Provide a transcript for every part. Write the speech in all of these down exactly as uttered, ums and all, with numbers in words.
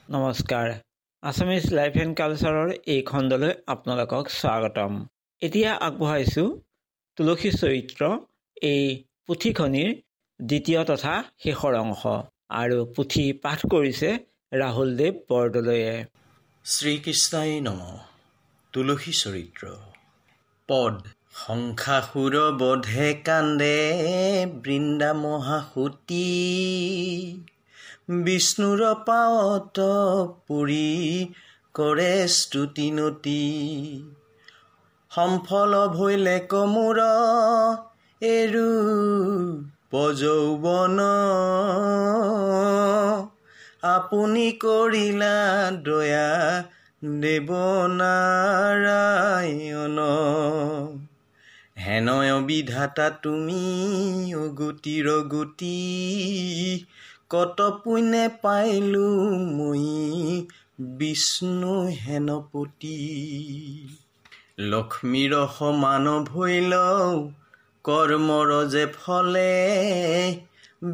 নমস্কাৰ, Assamese life and কালচাৰৰ এই খণ্ডলৈ আপোনালোকক স্বাগতম। এতিয়া আগবঢ়াইছোঁ তুলসী চৰিত্ৰ এই পুথিখনিৰ দ্বিতীয় তথা শেষৰ অংশ, আৰু পুথি পাঠ কৰিছে ৰাহুল দেৱ বৰদলৈয়ে। শ্ৰীকৃষ্ণাই নম। তুলসী চৰিত্ৰ পদ। শংখাসুৰ বধে কান্দে বৃন্দা মহাসতী, বিষ্ণুৰ পাৱত পৰি কৰে স্তুতি নতি। সম্ফল ভৈলে কমোৰ এৰু যৌৱন, আপুনি কৰিলা দয়া দেৱ নাৰায়ণ। হেনয় বিধাতা তুমি অগতিৰ গতি, কত পুণ্যে পাইলো মই বিষ্ণু হেনপতি। লক্ষ্মীৰ সমান ভৈল কৰ্মৰ যে ফলে,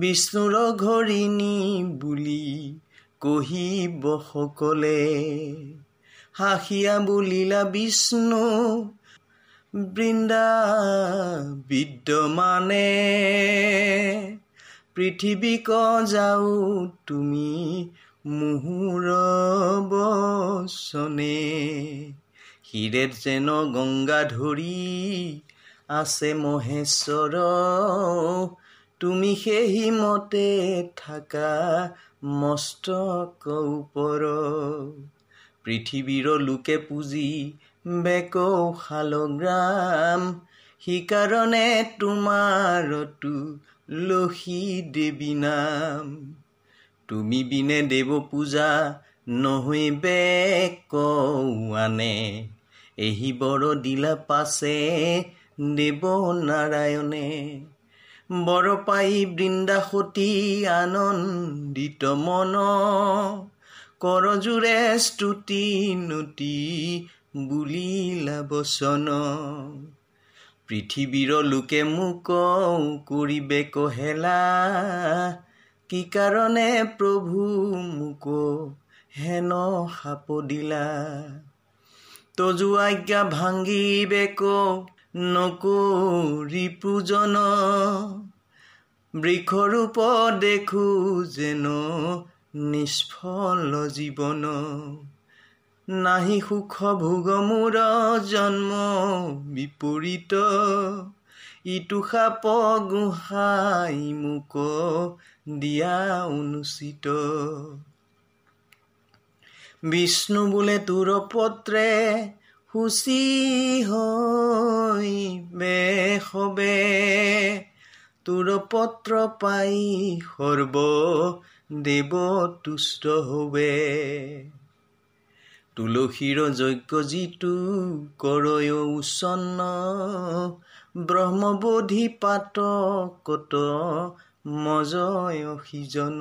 বিষ্ণুৰ ঘৰিণী বুলি কহিব সকলে। হাসিয়া বুলিলা বিষ্ণু বৃন্দা বিদ্যমানে, পৃথিৱীক যাও তুমি মোহোৰ বচনে। শিৰেত যেন গংগা ধৰি আছে মহেশ্বৰ, তুমি সেহি মতে থাকা মস্তক ওপৰ। পৃথিৱীৰ লোকে পুজি বেক শালগ্ৰাম, সিকাৰণে তোমাৰ তুলসী দেৱী নাম। তুমি বিনে দেৱ পূজা নহৈবে কৌআনে, এহি বৰ দিলা পাছে দেৱ নাৰায়ণে। বৰ পাই বৃন্দা সতী আনন্দিত মন, কৰজোৰে স্তুতি নতি বুলিলা বচন। পৃথিৱীৰ লোকে মোক কৰিবে কহেলা, কি কাৰণে প্ৰভু মোক হেন শাপ দিলা। তজু আজ্ঞা ভাঙিবে নকৰি পূজন, বৃক্ষৰূপ দেখো যেন নিষ্ফল জীৱন। নাহি সুখ ভোগ মোৰ জন্ম বিপৰীত, ইটো সাপ গোহাঁই মোক দিয়া অনুচিত। বিষ্ণু বোলে তোৰ পত্ৰে শুচি হৈ সবে, তোৰ পত্ৰ পাই সৰ্ব দেৱ তুষ্ট হবে। তুলসীৰ যজ্ঞ যিটো কৰয় উচ্ছন্ন, ব্ৰহ্মবোধি পাতকত মজয় সিজন।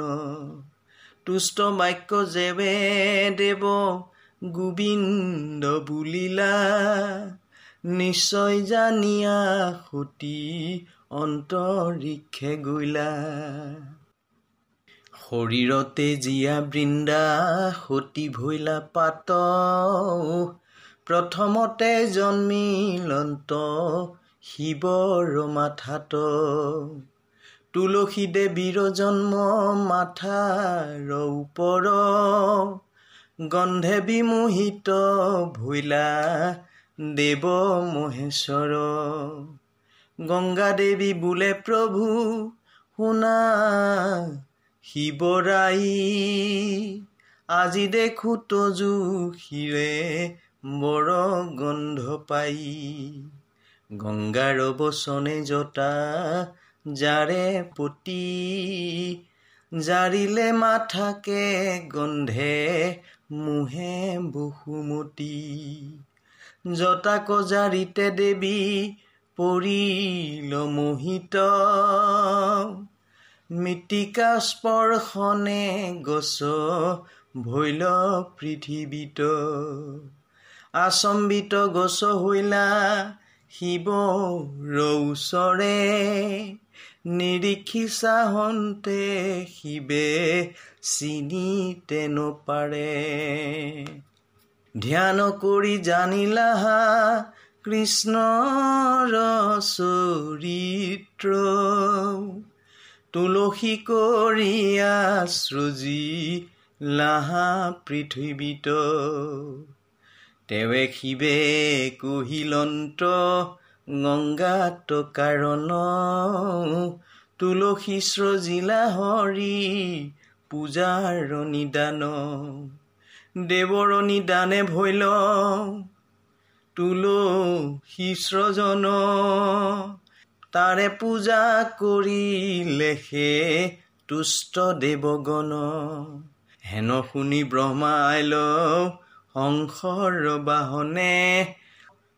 তুষ্ট বাক্য যেৱে দেৱ গোবিন্দ বুলিলা, নিশ্চয় জানিয়া সতী অন্তৰীক্ষে গৈলা। শৰীৰতে জীয়া বৃন্দা সতী ভৈলা পাত, প্ৰথমতে জন্মিলন্ত শিৱৰ মাথাত। তুলসী দেৱীৰ জন্ম মাথাৰ ওপৰ, গন্ধে বিমোহিত ভৈলা দেৱ মহেশ্বৰ। গংগা দেৱী বোলে প্ৰভু শুনা শিৱৰাই, আজি দেখো তজু শিৰে বৰ গন্ধ পাই। গংগাৰ বচনে জটা যাৰে পতি, জাৰিলে মাথাকে গন্ধে মোহে বসুমতী। জটাক জাৰিতে দেৱী পৰিল মোহিত, মৃত্তিকা স্পৰ্শনে গছ ভৈল পৃথিৱীত। আচম্বিত গছ হৈলা শিৱৰ ওচৰে, নিৰীক্ষি চাহন্তে শিৱে চিনিতে নপাৰে। ধ্যান কৰি জানিলা কৃষ্ণৰ চৰিত্ৰ, তুলসী কৰিয়া সৃজি লাহা পৃথিৱীত। তেৱে শিৱে কহিলন্ত গংগাত কাৰণ, তুলসী সৃজিলা হৰি পূজাৰ নিদান। দেৱৰ নিদানে ভৈল তুলসী সৃজন, তাৰে পূজা কৰিলে সে তুষ্ট দেৱগণ। হেন শুনি ব্ৰহ্মা আইল হংসৰ বাহনে,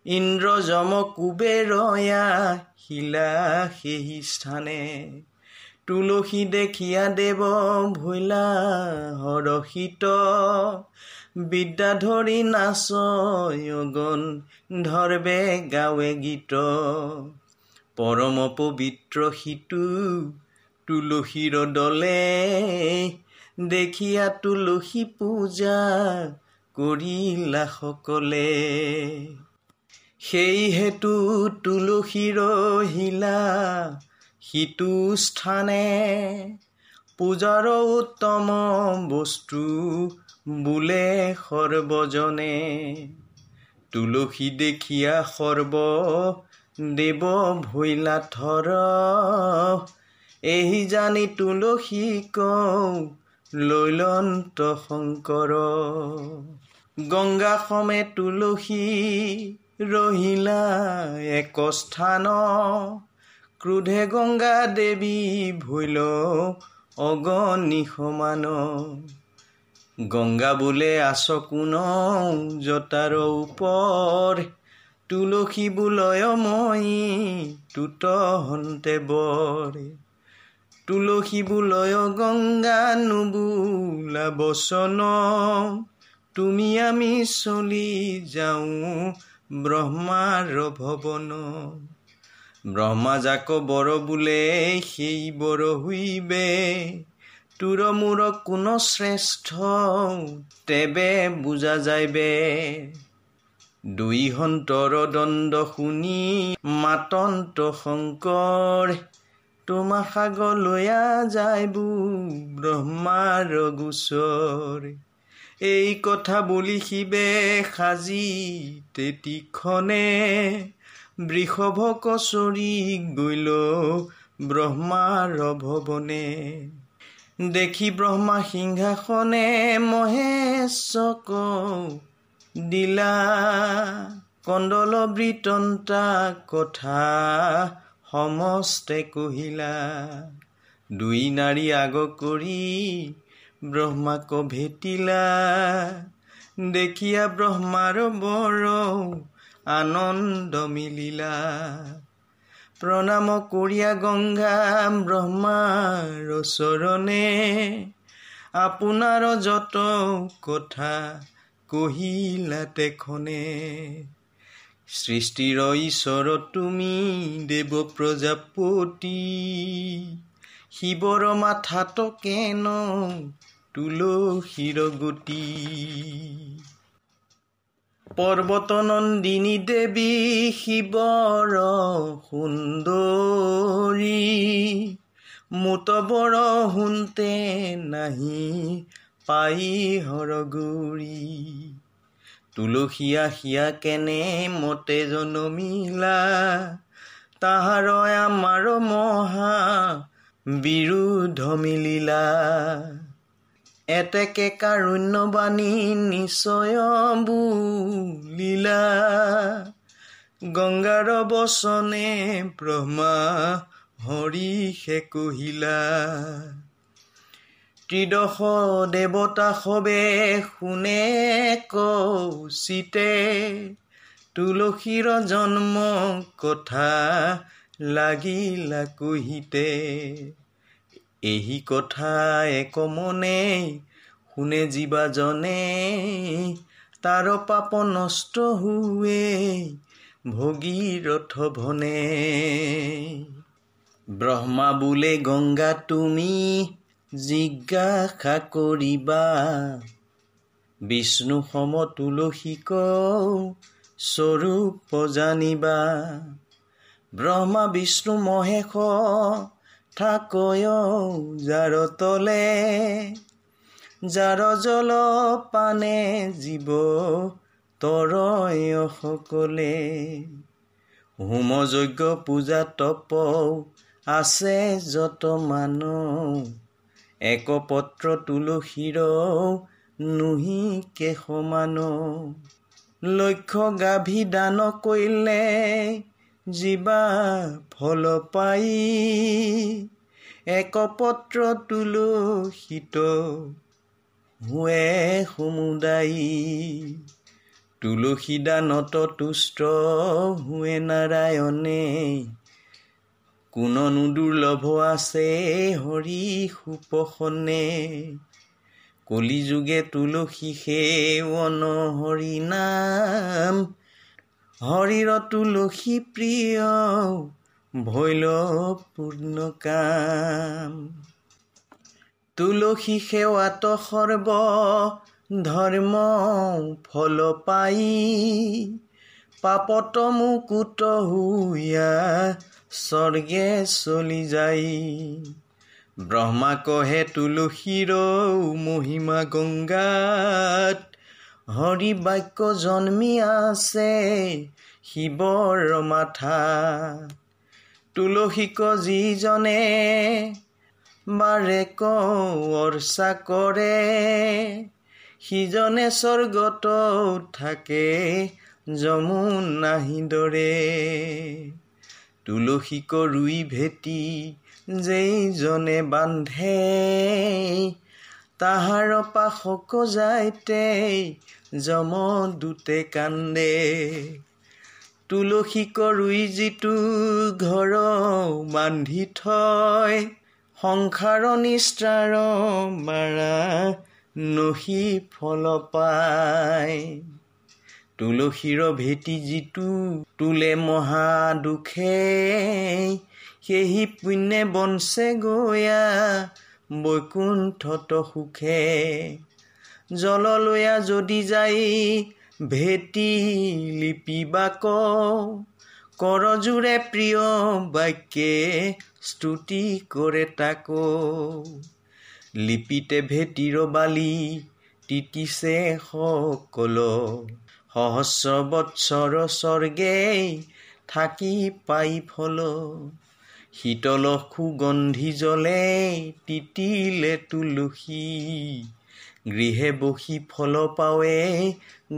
ইন্দ্ৰ যম কুবেৰয়া শিলা সেই স্থানে। তুলসী দেখিয়া দেৱ ভৈলা হৰষিত, বিদ্যা ধৰি নাচয় গণ ধৰ্বে গাৱে গীত। পৰম পবিত্ৰ সিটো তুলসীৰ দলে, দেখিয়া তুলসী পূজা কৰিলা সকলে। সেই হেতু তুলসী ৰহিলা সিটো স্থানে, পূজাৰ উত্তম বস্তু বোলে সৰ্বজনে। তুলসী দেখিয়া সৰ্ব দেৱ ভৈলা থৰ, এহি জানি তুলসী কওঁ লৈলন্ত শংকৰ। গংগা সমে তুলসী ৰহিলা এক স্থান, ক্ৰোধে গংগা দেৱী ভৈল অগণি সমান। গংগা বোলে আছ কোন জটাৰ ওপৰ, তুলসী বোলয় মই তুত হন্তে বৰ। তুলসী বোলয় গংগা নুবোলা বচন, তুমি আমি চলি যাওঁ ব্ৰহ্মাৰ ভৱন। ব্ৰহ্মা যাক বৰ বোলে সেই বৰ হুইবে, তোৰ মোৰ কোন শ্ৰেষ্ঠ তেবে বুজা যাইবে। দুই সন্তৰ দণ্ড শুনি মাতন্ত শংকৰ, তোমা সাগলৈয়া যাইবো ব্ৰহ্মাৰ গোচৰ। এই কথা বুলি শিৱে সাজি তেতিক্ষণে, বৃষভ কচৰি গৈল ব্ৰহ্মাৰ ভৱনে। দেখি ব্ৰহ্মা সিংহাসনে মহেশক দিলা, কন্দল বৃতন্তা কথা সমস্তে কহিলা। দুই নাৰী আগ কৰি ব্ৰহ্মাক ভেটিলা, দেখিয়া ব্ৰহ্মাৰ বৰ আনন্দ মিলিলা। প্ৰণাম কৰিয়া গংগা ব্ৰহ্মাৰ চৰণে, আপোনাৰ যত কথা কহিলা তেখনে। সৃষ্টিৰ ঈশ্বৰ তুমি দেৱ প্ৰজাপতি, শিৱৰ মাথাত কেন তুলসীৰ গতি। পৰ্বত নন্দিনী দেৱী শিৱৰ সুন্দৰী, মোত বৰ শুনতে নাহি পাই হৰগুৰি। তুলসী আসিয়া কেনে মতে জনমিলা, তাহাৰ আমাৰ মহা বিৰোধ মিলিলা। এতেকে কাৰুণ্য বাণী নিশ্চয় বুলিলা, গংগাৰ বচনে ব্ৰহ্মা হৰিষে কহিলা। ত্ৰিদশ দেৱতা সবে শুনে কৌশিতে, তুলসীৰ জন্ম কথা লাগিলা কহিতে। এহি কথা এক মনে শুনে জীৱাজনে, তাৰ পাপ নষ্ট হুৱে ভগীৰথ ভনে। ব্ৰহ্মা বোলে গংগা তুমি জিজ্ঞাসা কৰিবা। বিষ্ণু সম তুলসীক স্বৰূপ জানিবা। ব্ৰহ্মা বিষ্ণু মহেশ থাকয় যাৰ তলে, যাৰ জল পানে জীৱ তৰয় সকলে। হোম যজ্ঞ পূজা তপ আছে যত মান, একপত্ৰ তুলসীৰ নুহি কে সমান। লক্ষ্য গাভী দান কৰিলে জীৱা ফল পাই, একপত্ৰ তুলসীত হোৱে সমুদায়ী। তুলসী দানত তুষ্ট হোৱে নাৰায়ণে, কোননো দুৰ্লভ আছে হৰি সুপসনে। কলিযুগে তুলসী সেৱন হৰি নাম, হৰিৰ তুলসী প্ৰিয় ভৈল পূৰ্ণ কাম। তুলসী সেৱাত সৰ্ব ধৰ্ম ফল পাই, পাপত মুকুত হুয়া স্বৰ্গে চলি যায়। ব্ৰহ্মা কহে তুলসীৰ মহিমা গংগাত, হৰি বাক্য জন্মি আছে শিৱৰ মাথা। তুলসীক যিজনে বাৰেক অৰ্চা কৰে, সিজনে স্বৰ্গত থাকে যমুনাহি দৰে। তুলসীক ৰুই ভেটি যেইজনে বান্ধে, তাহাৰ পাশক যাইতে যমদূতে কান্দে। তুলসীক ৰুই যিটো ঘৰ বান্ধি থয়, সংসাৰ নিস্তাৰ মাৰা নহি ফল পায়। তুলসীৰ ভেটি যিটো তোলে মহা দুখে, সেহি পুণ্যে বঞ্চে গয়া বৈকুণ্ঠত সুখে। জল লৈয়া যদি যাই ভেটি লিপিবাক, কৰজোৰে প্ৰিয় বাক্যে স্তুতি কৰে তাক। লিপিতে ভেটিৰ বালি তিতিছে সকল, সহস্ৰ বৎসৰ স্বৰ্গে থাকি পাই ফল। শীতল সুগন্ধি জলে তিতিলে তুলসী, গৃহে বসি ফল পাৱে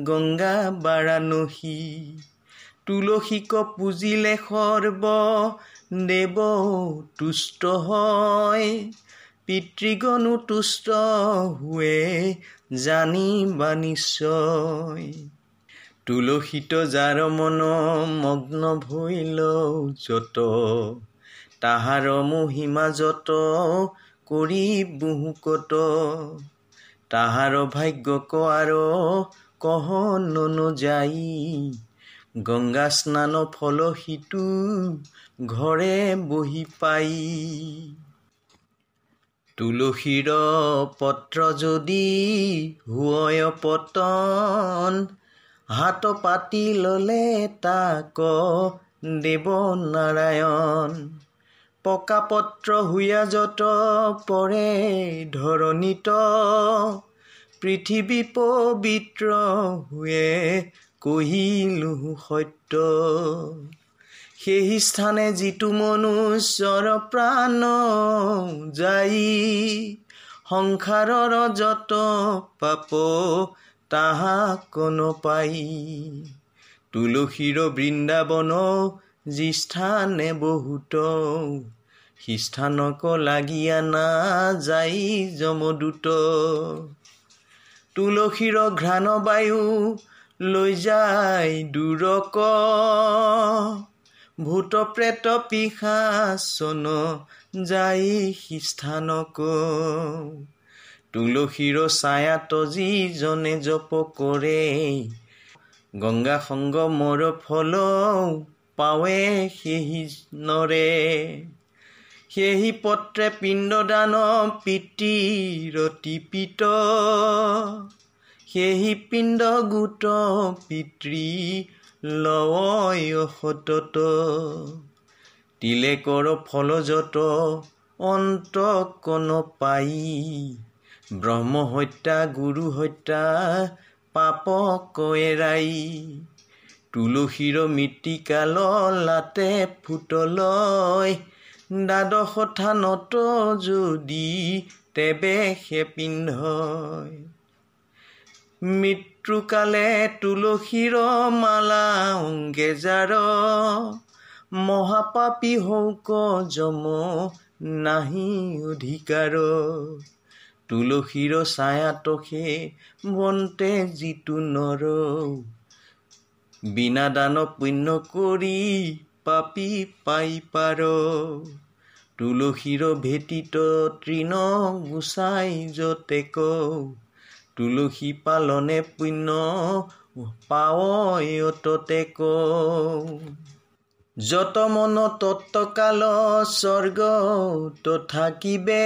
গংগা বাৰাণসী। তুলসীক পূজিলে সৰ্ব দেৱ তুষ্ট হয়, পিতৃগণো তুষ্ট হোৱে জানিবা নিশ্চয়। তুলসীত যাৰ মন মগ্ন ভৈল যত, তাহাৰ মহিমা যত কৰি বহুকত। তাহাৰ ভাগ্যক আৰু কহ নযাই, গংগা স্নান ফল সিটো ঘৰে বহি পাই। তুলসীৰ পত্ৰ যদি হোৱয় পতন, হাত পাতি ললে তাক দেৱ নাৰায়ণ। পকা পত্ৰ হুয়া যত পৰে ধৰণীত, পৃথিৱী পবিত্ৰ হুয়ে কহিলো সত্য। সেই স্থানে যিটো মনুষ্যৰ প্ৰাণ যাই, সংসাৰৰ যত পাপ তাহাক নপাই। তুলসীৰ বৃন্দাবন যি স্থানে বহুত, সিস্থানক লাগিয়া না যাই যমদূত। তুলসীৰ ঘ্ৰাণ বায়ু লৈ যায় দূৰক, ভূত প্ৰেত পিশাচন যাই সিস্থানক। তুলসীৰ ছায়াত যিজনে জপ কৰে, গংগা সংগমৰ ফল পাৱে সেহি নৰে। সেহি পত্ৰে পিণ্ডদান পিতৃৰতি পিত, সেহি পিণ্ড গোট পিতৃ লয় সতত। তিলেকৰ ফল যত অন্ত কন পাই, ব্ৰহ্ম হত্যা গুৰু হত্যা পাপ এৰাই। তুলসীৰ মৃত্তিকাল লাতে ফুটলয়, দ্বাদশ থানত যদি তেবে সে পিন্ধয়। মৃত্যুকালে তুলসীৰ মালা অঙ্গে যাৰ, মহাপাপী হৌক যম নাহি অধিকাৰ। তুলসীৰ ছায়াত সে বন্তে যিটো নৰ, বিনা দান পুণ্য কৰি পাপী পাই পাৰ। তুলসীৰ ভেটিত তৃণ গুচাই যতেক, তুলসী পালনে পুণ্য পাৱয় ততেক। যত মন তত্ত্বকাল স্বৰ্গ থাকিবে,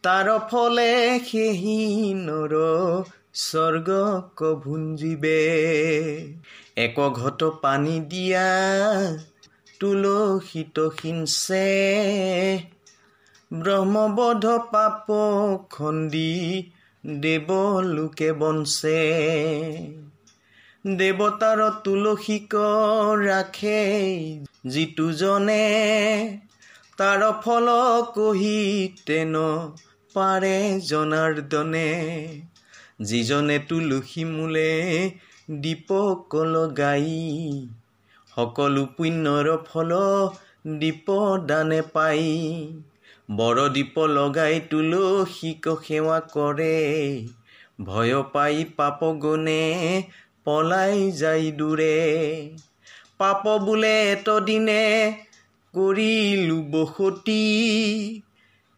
তাৰ ফলে সেহি নৰ স্বৰ্গ ভুঞ্জিবে। এক ঘট পানী দিয়া তুলসীত সিঞ্চে, ব্ৰহ্মবধ পাপ খণ্ডি দেৱলোকে বঞ্চে। দেৱতাৰ তুলসীক ৰাখে যিটো জনে, তাৰ ফল কহি তেন পাৰে জনাৰ্দনে। যিজনে তুলসী মূলে দীপক লগাই, সকলো পুণ্যৰ ফল দীপ দানে পাই। বৰ দীপ লগাই তুলসীক সেৱা কৰে, ভয় পাই পাপ গুণে পলাই যায় দূৰে। পাপ বোলে এতদিনে কৰিলো বসতি,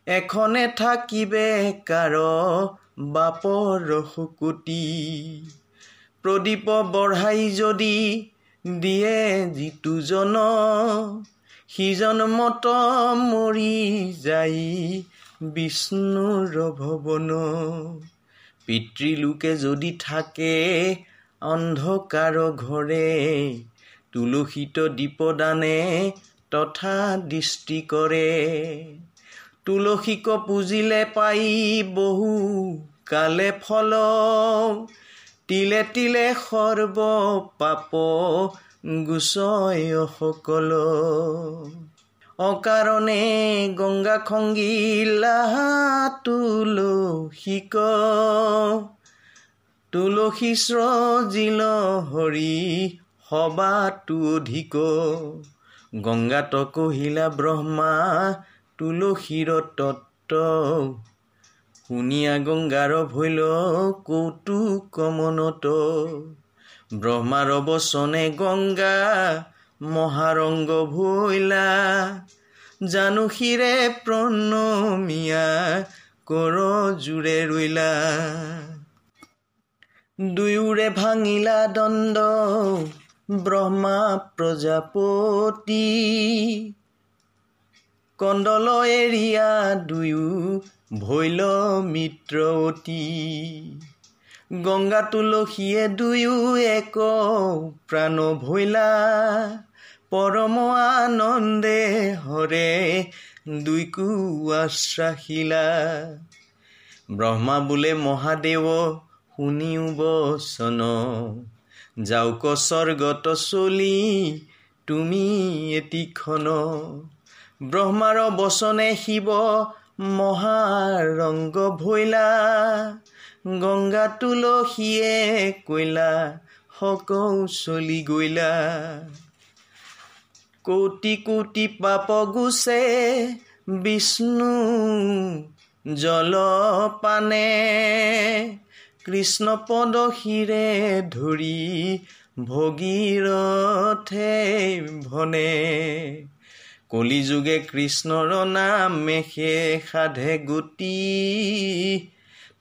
এখনে থাকিবে কাৰ বাপৰ শকতি। প্ৰদীপ বঢ়াই যদি দিয়ে যিটো জন, সিজন মত মৰি যাই বিষ্ণুৰ ভৱন। পিতৃলোকে যদি থাকে অন্ধকাৰ ঘৰে, তুলসীত দীপদানে তথা দৃষ্টি কৰে। তুলসীক পূজিলে পাই বহু কালে ফল, তিলে তিলে সৰ্ব পাপ গুচয় সকল। অকাৰণে গংগা খংগিলা তুলসীক, তুলসী স্ৰজিল হৰি সবাতো অধিক। গংগাত কহিলা ব্ৰহ্মা তুলসীৰ তত্ত্ব, শুনিয়া গংগাৰ ভৈল কৌতুক মনত। ব্ৰহ্মাৰ বচনে গংগা মহাৰংগ ভৈলা, জানু শিৰে প্ৰণমিয়া কৰ জোৰে ৰৈলা। দুয়োৰে ভাঙিলা দণ্ড ব্ৰহ্মা প্ৰজাপতি, কন্দল এৰিয়া দুয়ো ভৈল মিত্ৰ অতি। গংগা তুলসীয়ে দুয়ো এক প্ৰাণ ভৈলা, পৰম আনন্দে হৰে দুইকো আশ্বাসিলা। ব্ৰহ্মা বোলে মহাদেৱ শুনিও বচন, যাওক স্বৰ্গত চলি তুমি এতিক্ষণ। ব্ৰহ্মাৰ বচনে শিৱ মহাৰংগ ভৈলা, গংগা তুলসীয়ে কৈলা সকৌ চলি গৈলা। কোটি কোটি পাপ গুচে বিষ্ণু জলপানে, কৃষ্ণ পদ শিৰে ধৰি ভগীৰথে ভনে। কলিযুগে কৃষ্ণৰ নামে সে সাধে গতি,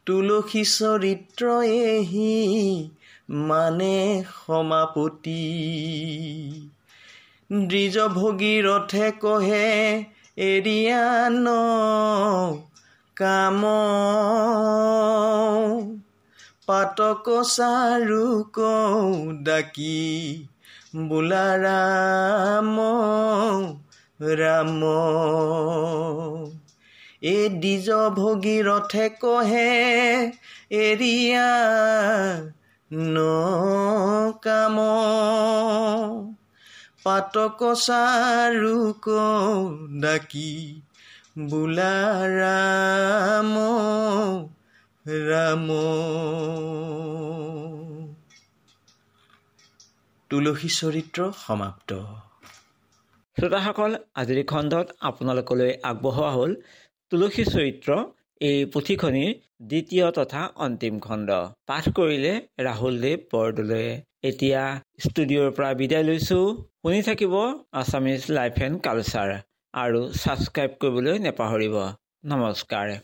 তুলসী চৰিত্ৰ এহি মানে সমাপতি। দ্বিজ ভগীৰথে কহে এৰিয়া ন কাম। পাতক চাৰু কৌ ডাকি বোলা ৰাম ৰাম। এ দ্বিজ ভগীৰথে কহে এৰিয়া ন কাম। পাতক চাৰু কৌ ডাকি বোলা ৰাম ৰাম। তুলসী চৰিত্ৰ সমাপ্ত। শ্ৰোতাসকল, আজিৰ খণ্ডত আপোনালোকলৈ আগবঢ়োৱা হ'ল তুলসী চৰিত্ৰ এই পুথিখনিৰ দ্বিতীয় তথা অন্তিম খণ্ড। পাঠ কৰিলে ৰাহুল দেৱ বৰদলৈয়ে। এতিয়া ষ্টুডিঅ'ৰ পৰা বিদায় লৈছোঁ। শুনি থাকিব আছামিজ লাইফ এণ্ড কালচাৰ আৰু ছাবস্ক্ৰাইব কৰিবলৈ নেপাহৰিব। নমস্কাৰ।